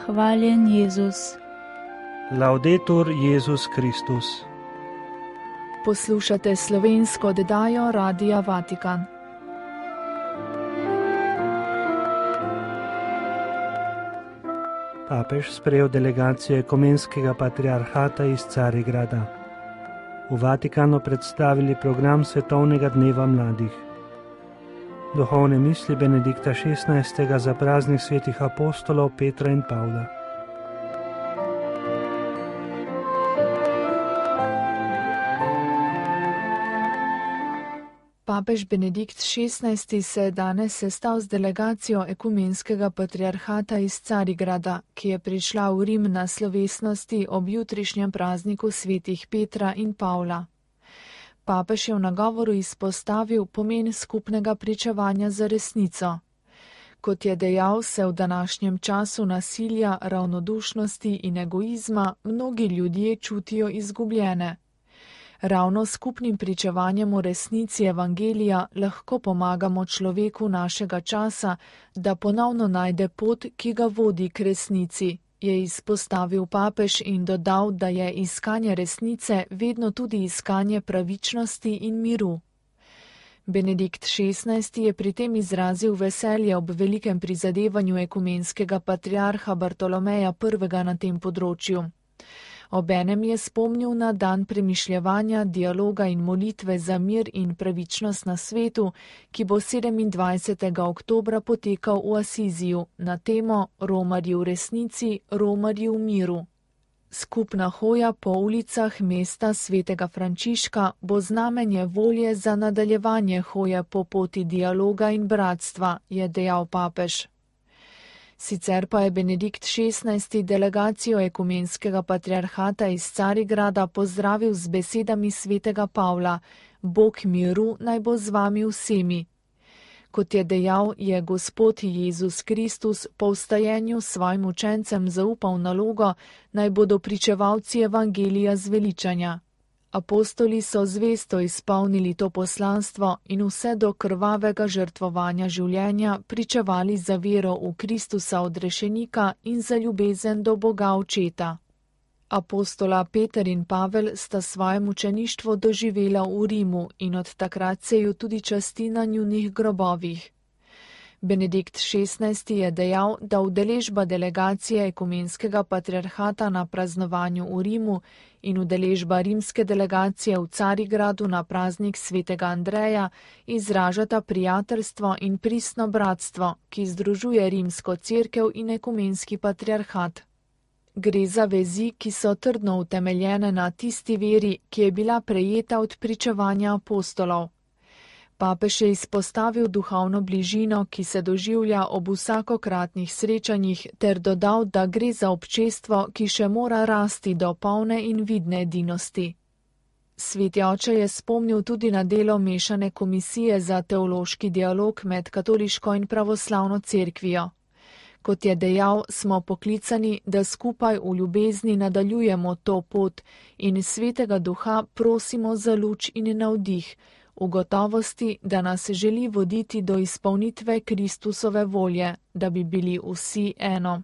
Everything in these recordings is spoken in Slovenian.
Hvaljen Jezus. Laudetur Jezus Kristus. Poslušate slovensko oddajo Radia Vatikan. Papež sprejel delegacijo ekumenskega patriarhata iz Carigrada. V Vatikanu predstavili program Svetovnega dneva mladih. Duhovne misli Benedikta XVI. Za praznik svetih apostolov Petra in Pavla. Papež Benedikt XVI. Se je danes sestal z delegacijo ekumenskega patriarhata iz Carigrada, ki je prišla v Rim na slovesnosti ob jutrišnjem prazniku svetih Petra in Pavla. Papež je v nagovoru izpostavil pomen skupnega pričevanja za resnico. Kot je dejal, se v današnjem času nasilja, ravnodušnosti in egoizma mnogi ljudje čutijo izgubljene. Ravno s skupnim pričevanjem o resnici evangelija lahko pomagamo človeku našega časa, da ponovno najde pot, ki ga vodi k resnici, je izpostavil papež in dodal, da je iskanje resnice vedno tudi iskanje pravičnosti in miru. Benedikt XVI. Je pri tem izrazil veselje ob velikem prizadevanju ekumenskega patriarha Bartolomeja I. na tem področju. Obenem je spomnil na dan premišljevanja, dialoga in molitve za mir in pravičnost na svetu, ki bo 27. oktobra potekal v Asiziju na temo Romarji v resnici, Romarji v miru. Skupna hoja po ulicah mesta svetega Frančiška bo znamenje volje za nadaljevanje hoje po poti dialoga in bratstva, je dejal papež. Sicer pa je Benedikt XVI. Delegacijo ekumenskega patriarhata iz Carigrada pozdravil z besedami svetega Pavla: Bog miru naj bo z vami vsemi. Kot je dejal, je Gospod Jezus Kristus po vstajenju svojim učencem zaupal nalogo, naj bodo pričevalci evangelija zveličanja. Apostoli so zvesto izpolnili to poslanstvo in vse do krvavega žrtvovanja življenja pričevali za vero v Kristusa odrešenika in za ljubezen do Boga Očeta. Apostola Peter in Pavel sta svoje mučeništvo doživela v Rimu in od takrat se ju tudi časti na njunih grobovih. Benedikt XVI. Je dejal, da udeležba delegacije ekumenskega patriarhata na praznovanju v Rimu in udeležba rimske delegacije v Carigradu na praznik svetega Andreja izražata prijateljstvo in pristno bratstvo, ki združuje rimsko cerkev in ekumenski patriarhat. Gre za vezi, ki so trdno utemeljene na tisti veri, ki je bila prejeta od pričevanja apostolov. Papež je izpostavil duhovno bližino, ki se doživlja ob vsakokratnih srečanjih, ter dodal, da gre za občestvo, ki še mora rasti do polne in vidne edinosti. Sveti oče je spomnil tudi na delo mešane komisije za teološki dialog med katoliško in pravoslavno cerkvijo. Kot je dejal, smo poklicani, da skupaj v ljubezni nadaljujemo to pot in svetega duha prosimo za luč in navdih, v gotovosti, da nas želi voditi do izpolnitve Kristusove volje, da bi bili vsi eno.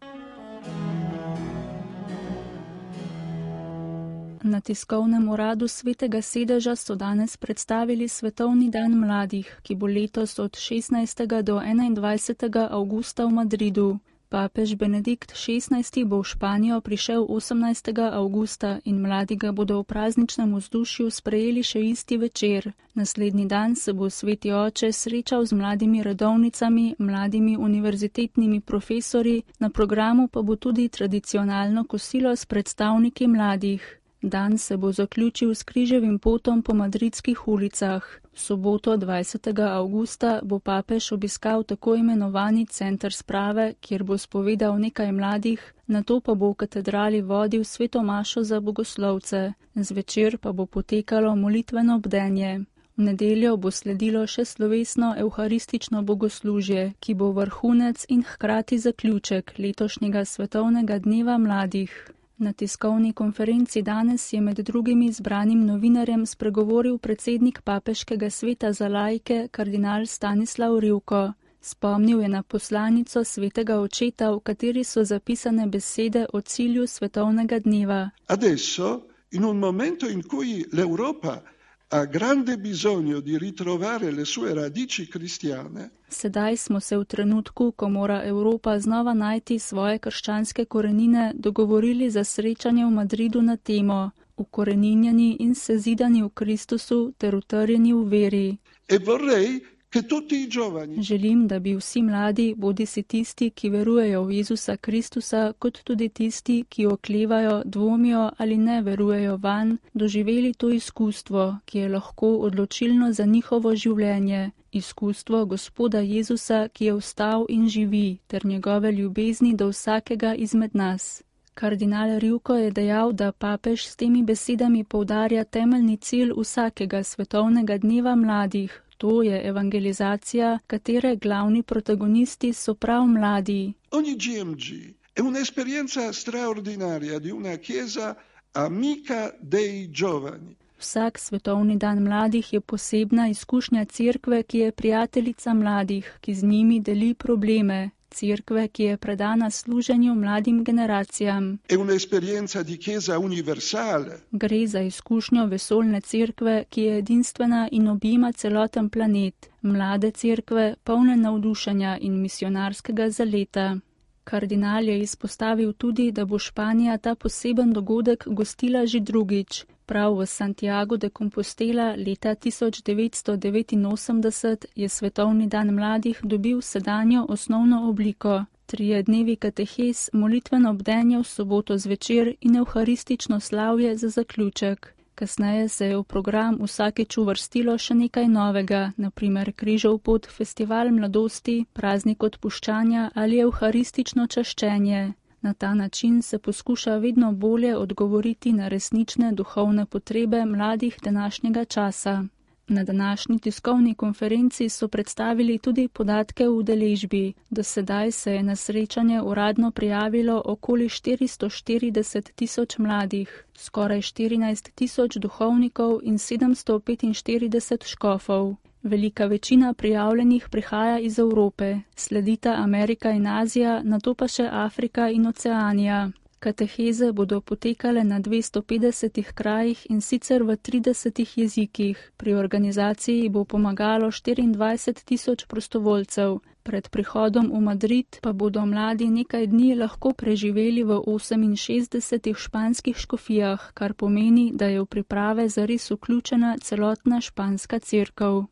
Na tiskovnem uradu Svetega sedeža so danes predstavili Svetovni dan mladih, ki bo letos od 16. do 21. avgusta v Madridu. Papež Benedikt XVI. Bo v Španijo prišel 18. avgusta in mladi ga bodo v prazničnem vzdušju sprejeli še isti večer. Naslednji dan se bo sveti oče srečal z mladimi redovnicami, mladimi univerzitetnimi profesorji, na programu pa bo tudi tradicionalno kosilo s predstavniki mladih. Dan se bo zaključil s križevim potom po madridskih ulicah. V soboto 20. avgusta bo papež obiskal tako imenovani center sprave, kjer bo spovedal nekaj mladih, nato pa bo v katedrali vodil sveto mašo za bogoslovce. Zvečer pa bo potekalo molitveno bdenje. V nedeljo bo sledilo še slovesno evharistično bogoslužje, ki bo vrhunec in hkrati zaključek letošnjega Svetovnega dneva mladih. Na tiskovni konferenci danes je med drugim izbranim novinarjem spregovoril predsednik Papeškega sveta za laike, kardinal Stanislav Rivko. Spomnil je na poslanico svetega očeta, v kateri so zapisane besede o cilju svetovnega dneva. Adesso, in un momento in cui l'Europa ha grande bisogno di ritrovare le sue radici cristiane, Sedaj smo se v trenutku, ko mora Evropa znova najti svoje krščanske korenine, dogovorili za srečanje v Madridu na temo ukoreninjeni in sezidani v Kristusu ter utrjeni v veri. e vorrei che tutti i giovani Želim, da bi vsi mladi, bodisi tisti, ki verujejo v Jezusa Kristusa, kot tudi tisti, ki oklevajo, dvomijo ali ne verujejo vanj, doživeli to izkustvo, ki je lahko odločilno za njihovo življenje, izkustvo Gospoda Jezusa, ki je vstal in živi, ter njegove ljubezni do vsakega izmed nas. Kardinal Rivko je dejal, da papež s temi besedami poudarja temeljni cilj vsakega svetovnega dneva mladih. To je evangelizacija, katere glavni protagonisti so prav mladi. Ogni GMG è un'esperienza straordinaria di una chiesa amica dei giovani. Vsak svetovni dan mladih je posebna izkušnja cerkve, ki je prijateljica mladih, ki z njimi deli probleme. Cerkve, ki je predana služenju mladim generacijam. È un'esperienza di chiesa universale. Gre za izkušnjo vesoljne cerkve, ki je edinstvena in objema celoten planet. Mlade cerkve, polne navdušenja in misionarskega zaleta. Kardinal je izpostavil tudi, da bo Španija ta poseben dogodek gostila že drugič. Prav v Santiago de Compostela leta 1989 je Svetovni dan mladih dobil sedanjo osnovno obliko. 3 dnevi katehes, molitveno bdenje v soboto zvečer in evharistično slavje za zaključek. Kasneje se je v program vsakeč uvrstilo še nekaj novega, naprimer križov pot, festival mladosti, praznik odpuščanja ali evharistično čaščenje. Na ta način se poskuša vedno bolje odgovoriti na resnične duhovne potrebe mladih današnjega časa. Na današnji tiskovni konferenci so predstavili tudi podatke v udeležbi. Do sedaj se je na srečanje uradno prijavilo okoli 440.000 mladih, skoraj 14.000 duhovnikov in 745 škofov. Velika večina prijavljenih prihaja iz Evrope, sledita Amerika in Azija, nato pa še Afrika in Oceanija. Kateheze bodo potekale na 250 krajih in sicer v 30 jezikih. Pri organizaciji bo pomagalo 24.000 prostovoljcev. Pred prihodom v Madrid pa bodo mladi nekaj dni lahko preživeli v 68 španskih škofijah, kar pomeni, da je v priprave zares vključena celotna španska cerkev.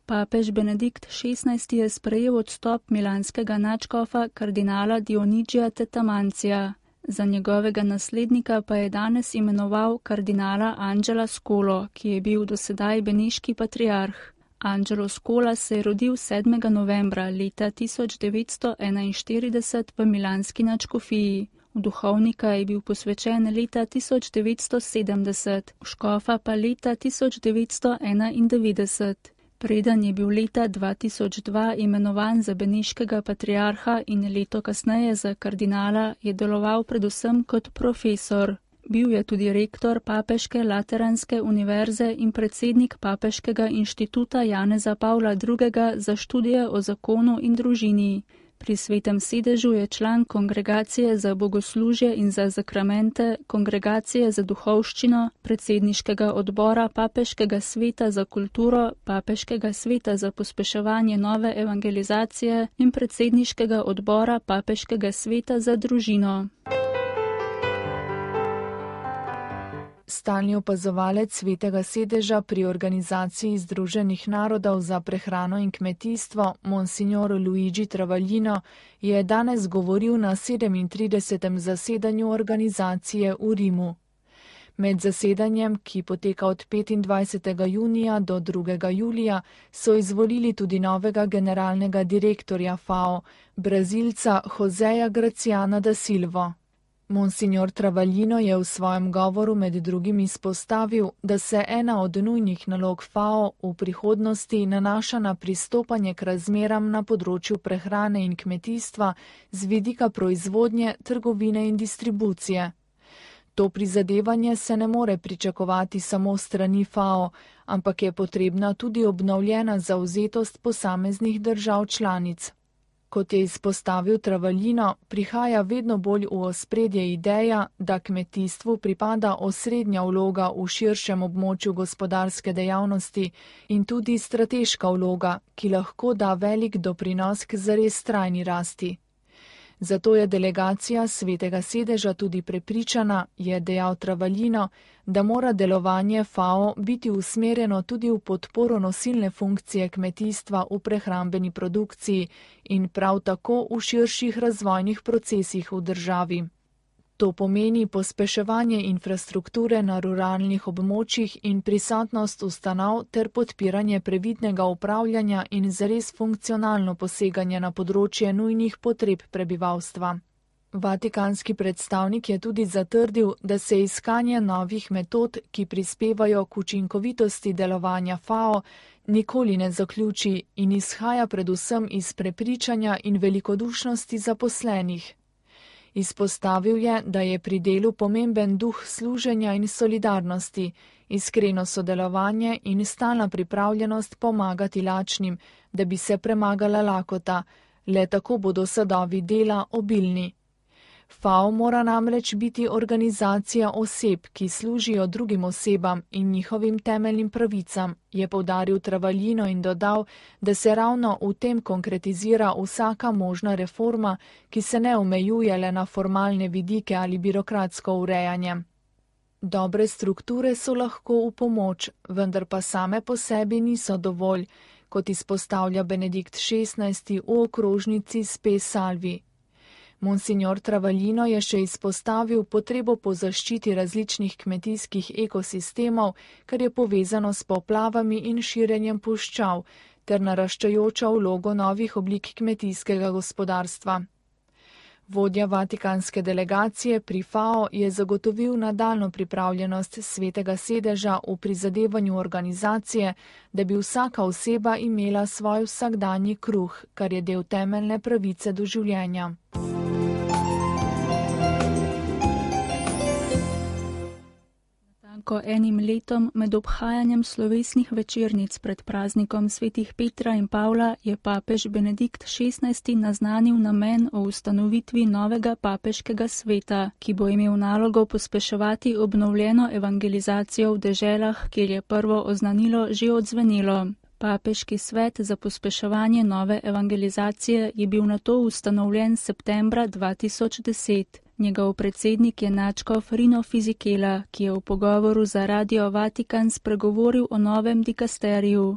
Papež Benedikt XVI je sprejel odstop milanskega nadškofa kardinala Dionigija Tetamancija. Za njegovega naslednika pa je danes imenoval kardinala Angela Scolo, ki je bil do sedaj beneški patriarh. Angelo Scola se je rodil 7. novembra leta 1941 v milanski nadškofiji. V duhovnika je bil posvečen leta 1970, v škofa pa leta 1991. Preden je bil leta 2002 imenovan za beneškega patriarha in leto kasneje za kardinala, je deloval predvsem kot profesor. Bil je tudi rektor Papeške Lateranske univerze in predsednik Papeškega inštituta Janeza Pavla II. Za študije o zakonu in družini. Pri Svetem sedežu je član Kongregacije za bogoslužje in za zakramente, Kongregacije za duhovščino, predsedniškega odbora Papeškega sveta za kulturo, Papeškega sveta za pospeševanje nove evangelizacije in predsedniškega odbora Papeškega sveta za družino. Stalni opazovalec Svetega sedeža pri Organizaciji Združenih narodov za prehrano in kmetijstvo, monsignor Luigi Travaglino, je danes govoril na 37. zasedanju organizacije v Rimu. Med zasedanjem, ki poteka od 25. junija do 2. julija, so izvolili tudi novega generalnega direktorja FAO, Brazilca Joseja Graciana da Silvo. Monsignor Travaglino je v svojem govoru med drugim izpostavil, da se ena od nujnih nalog FAO v prihodnosti nanaša na pristopanje k razmeram na področju prehrane in kmetijstva z vidika proizvodnje, trgovine in distribucije. To prizadevanje se ne more pričakovati samo strani FAO, ampak je potrebna tudi obnovljena zavzetost posameznih držav članic. Kot je izpostavil Travaglino, prihaja vedno bolj v ospredje ideja, da kmetijstvu pripada osrednja vloga v širšem območju gospodarske dejavnosti in tudi strateška vloga, ki lahko da velik doprinos k zares trajni rasti. Zato je delegacija Svetega sedeža tudi prepričana, je dejal Travaglino, da mora delovanje FAO biti usmerjeno tudi v podporo nosilne funkcije kmetijstva v prehrambeni produkciji in prav tako v širših razvojnih procesih v državi. To pomeni pospeševanje infrastrukture na ruralnih območjih in prisotnost ustanov ter podpiranje previdnega upravljanja in zares funkcionalno poseganje na področje nujnih potreb prebivalstva. Vatikanski predstavnik je tudi zatrdil, da se iskanje novih metod, ki prispevajo k učinkovitosti delovanja FAO, nikoli ne zaključi in izhaja predvsem iz prepričanja in velikodušnosti zaposlenih. Izpostavil je, da je pri delu pomemben duh služenja in solidarnosti, iskreno sodelovanje in stalna pripravljenost pomagati lačnim, da bi se premagala lakota, le tako bodo sadovi dela obilni. FAO mora namreč biti organizacija oseb, ki služijo drugim osebam in njihovim temeljnim pravicam, je poudaril Travaglino in dodal, da se ravno v tem konkretizira vsaka možna reforma, ki se ne omejuje le na formalne vidike ali birokratsko urejanje. Dobre strukture so lahko v pomoč, vendar pa same po sebi niso dovolj, kot izpostavlja Benedikt XVI. V okrožnici Spe Salvi. Monsignor Travaglino je še izpostavil potrebo po zaščiti različnih kmetijskih ekosistemov, kar je povezano s poplavami in širjenjem puščav, ter naraščajočo vlogo novih oblik kmetijskega gospodarstva. Vodja vatikanske delegacije pri FAO je zagotovil nadaljnjo pripravljenost Svetega sedeža v prizadevanju organizacije, da bi vsaka oseba imela svoj vsakdanji kruh, kar je del temeljne pravice do življenja. Ko enim letom med obhajanjem slovesnih večernic pred praznikom svetih Petra in Pavla je papež Benedikt XVI. Naznanil namen o ustanovitvi novega papeškega sveta, ki bo imel nalogo pospeševati obnovljeno evangelizacijo v deželah, kjer je prvo oznanilo že odzvenelo. Papeški svet za pospeševanje nove evangelizacije je bil nato ustanovljen septembra 2010. Njegov predsednik je nadškof Rino Fisichella, ki je v pogovoru za Radio Vatikan spregovoril o novem dikasteriju.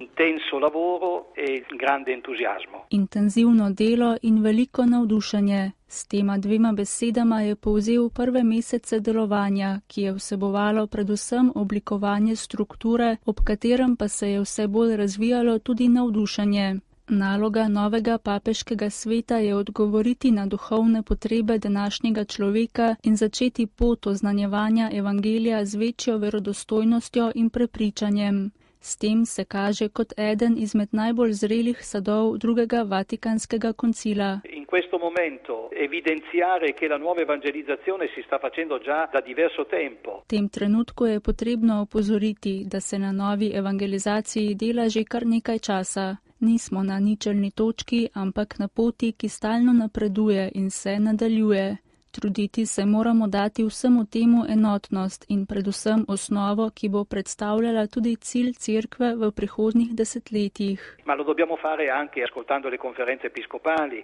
Intenzivno delo in veliko navdušenje. S tema dvema besedama je povzel prve mesece delovanja, ki je vsebovalo predvsem oblikovanje strukture, ob katerem pa se je vse bolj razvijalo tudi navdušenje. Naloga novega papeškega sveta je odgovoriti na duhovne potrebe današnjega človeka in začeti pot oznanjevanja evangelija z večjo verodostojnostjo in prepričanjem. S tem se kaže kot eden izmed najbolj zrelih sadov drugega Vatikanskega koncila. In questo momento evidenziare che la nuova evangelizzazione si sta facendo già da diverso tempo. V tem trenutku je potrebno opozoriti, da se na novi evangelizaciji dela že kar nekaj časa. Nismo na ničelni točki, ampak na poti, ki stalno napreduje in se nadaljuje. Truditi se moramo dati vsemu temu enotnost in predvsem osnovo, ki bo predstavljala tudi cilj cerkve v prihodnjih desetletjih.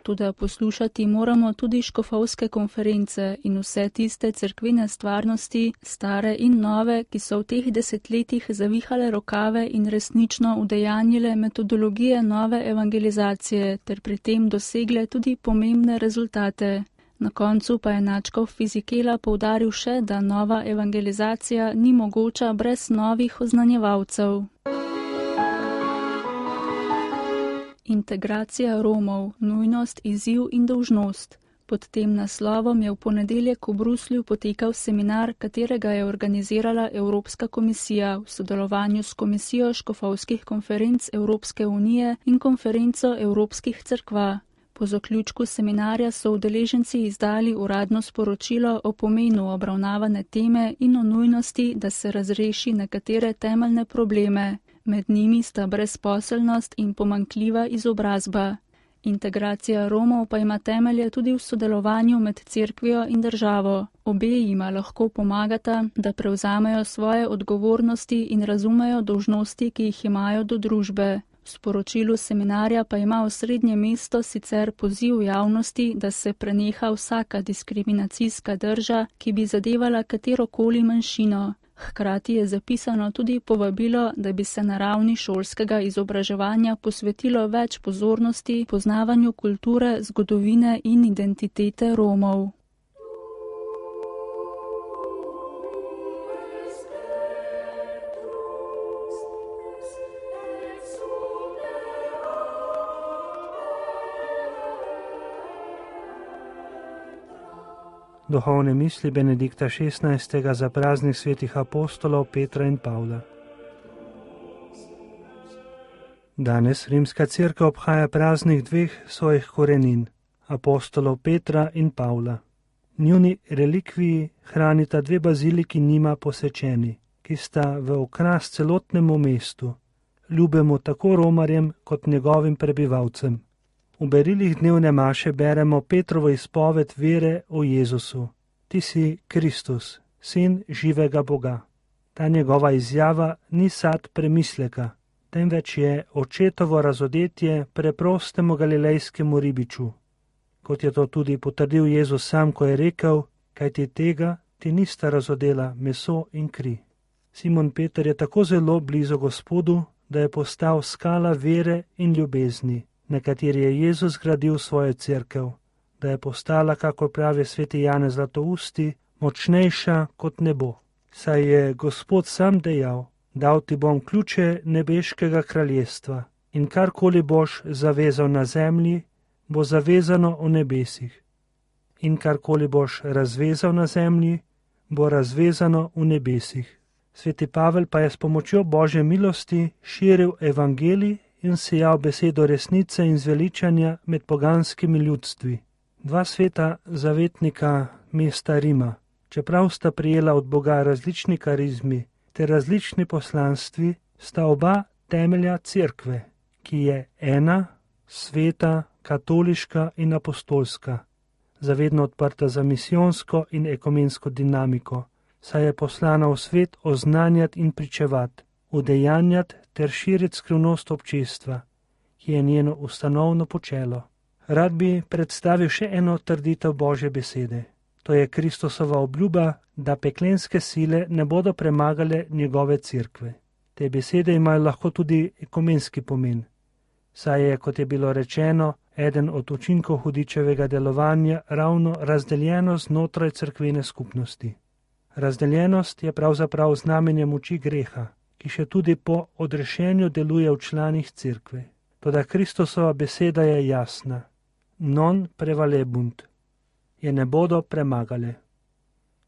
Toda poslušati moramo tudi škofovske konference in vse tiste cerkvene stvarnosti, stare in nove, ki so v teh desetletjih zavihale rokave in resnično udejanjile metodologije nove evangelizacije ter pri tem dosegle tudi pomembne rezultate. Na koncu pa je nadškof Fisichella poudaril še, da nova evangelizacija ni mogoča brez novih oznanjevalcev. Integracija Romov, nujnost, izziv in dolžnost. Pod tem naslovom je v ponedeljek v Bruslju potekal seminar, katerega je organizirala Evropska komisija v sodelovanju s Komisijo škofovskih konferenc Evropske unije in konferenco Evropskih cerkva. Po zaključku seminarja so udeleženci izdali uradno sporočilo o pomenu obravnavane teme in o nujnosti, da se razreši nekatere temeljne probleme. Med njimi sta brezposelnost in pomanjkljiva izobrazba. Integracija Romov pa ima temelje tudi v sodelovanju med cerkvijo in državo. Obe jima lahko pomagata, da prevzamejo svoje odgovornosti in razumejo dolžnosti, ki jih imajo do družbe. V sporočilu seminarja pa ima osrednje mesto sicer poziv javnosti, da se preneha vsaka diskriminacijska drža, ki bi zadevala katerokoli manjšino. Hkrati je zapisano tudi povabilo, da bi se na ravni šolskega izobraževanja posvetilo več pozornosti poznavanju kulture, zgodovine in identitete Romov. Duhovne misli Benedikta XVI. Za praznik svetih apostolov Petra in Pavla. Danes Rimska cerkev obhaja praznik dveh svojih korenin, apostolov Petra in Pavla. Njuni relikviji hranita dve baziliki njima posvečeni, ki sta v okras celotnemu mestu, ljubemu tako romarjem kot njegovim prebivalcem. V berilih dnevne maše beremo Petrovo izpoved vere o Jezusu. Ti si Kristus, sin živega Boga. Ta njegova izjava ni sad premisleka, temveč je očetovo razodetje preprostemu galilejskemu ribiču. Kot je to tudi potrdil Jezus sam, ko je rekel, kajti tega ti nista razodela meso in kri. Simon Peter je tako zelo blizu Gospodu, da je postal skala vere in ljubezni, na kateri je Jezus gradil svojo cerkev, da je postala, kako pravi sveti Janez Zlatousti, močnejša kot nebo. Saj je Gospod sam dejal, dal ti bom ključe nebeškega kraljestva in karkoli boš zavezal na zemlji, bo zavezano v nebesih. In karkoli boš razvezal na zemlji, bo razvezano v nebesih. Sveti Pavel pa je s pomočjo Božje milosti širil evangelij in sejal besedo resnice in zveličanja med poganskimi ljudstvi. Dva sveta zavetnika mesta Rima, čeprav sta prijela od Boga različni karizmi ter različni poslanstvi, sta oba temelja cerkve, ki je ena, sveta, katoliška in apostolska, zavedno odprta za misijonsko in ekumensko dinamiko, saj je poslana v svet oznanjati in pričevati, udejanjati ter širiti skrivnost občestva, ki je njeno ustanovno počelo. Rad bi predstavil še eno trditev Božje besede. To je Kristusova obljuba, da peklenske sile ne bodo premagale njegove cerkve. Te besede imajo lahko tudi ekumenski pomen, saj je, kot je bilo rečeno, eden od učinkov hudičevega delovanja ravno razdeljenost znotraj cerkvene skupnosti. Razdeljenost je pravzaprav znamenje moči greha, ki še tudi po odrešenju deluje v članih cerkve. Toda Kristusova beseda je jasna. Non prevalebunt. Je ne bodo premagale.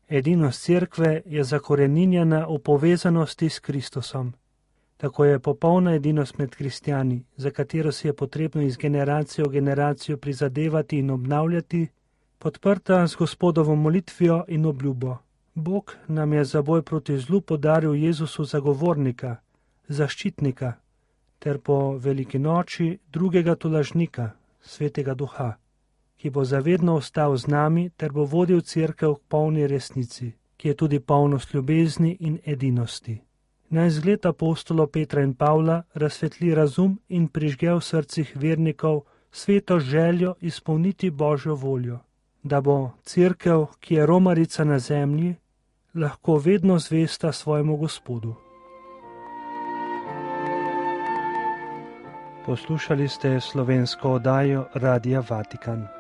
Edinost cerkve je zakoreninjena v povezanosti s Kristusom. Tako je popolna edinost med kristjani, za katero si je potrebno iz generacije v generacijo prizadevati in obnavljati, podprta z Gospodovo molitvijo in obljubo. Bog nam je za boj proti zlu podaril Jezusu zagovornika, zaščitnika, ter po veliki noči drugega tolažnika, Svetega Duha, ki bo zavedno ostal z nami ter bo vodil cerkev k polni resnici, ki je tudi polnost ljubezni in edinosti. Naj zgled apostolov Petra in Pavla razsvetli razum in prižge v srcih vernikov sveto željo izpolniti Božjo voljo, da bo cerkev, ki je romarica na zemlji, lahko vedno zvesta svojemu Gospodu. Poslušali ste slovensko oddajo Radia Vatikan.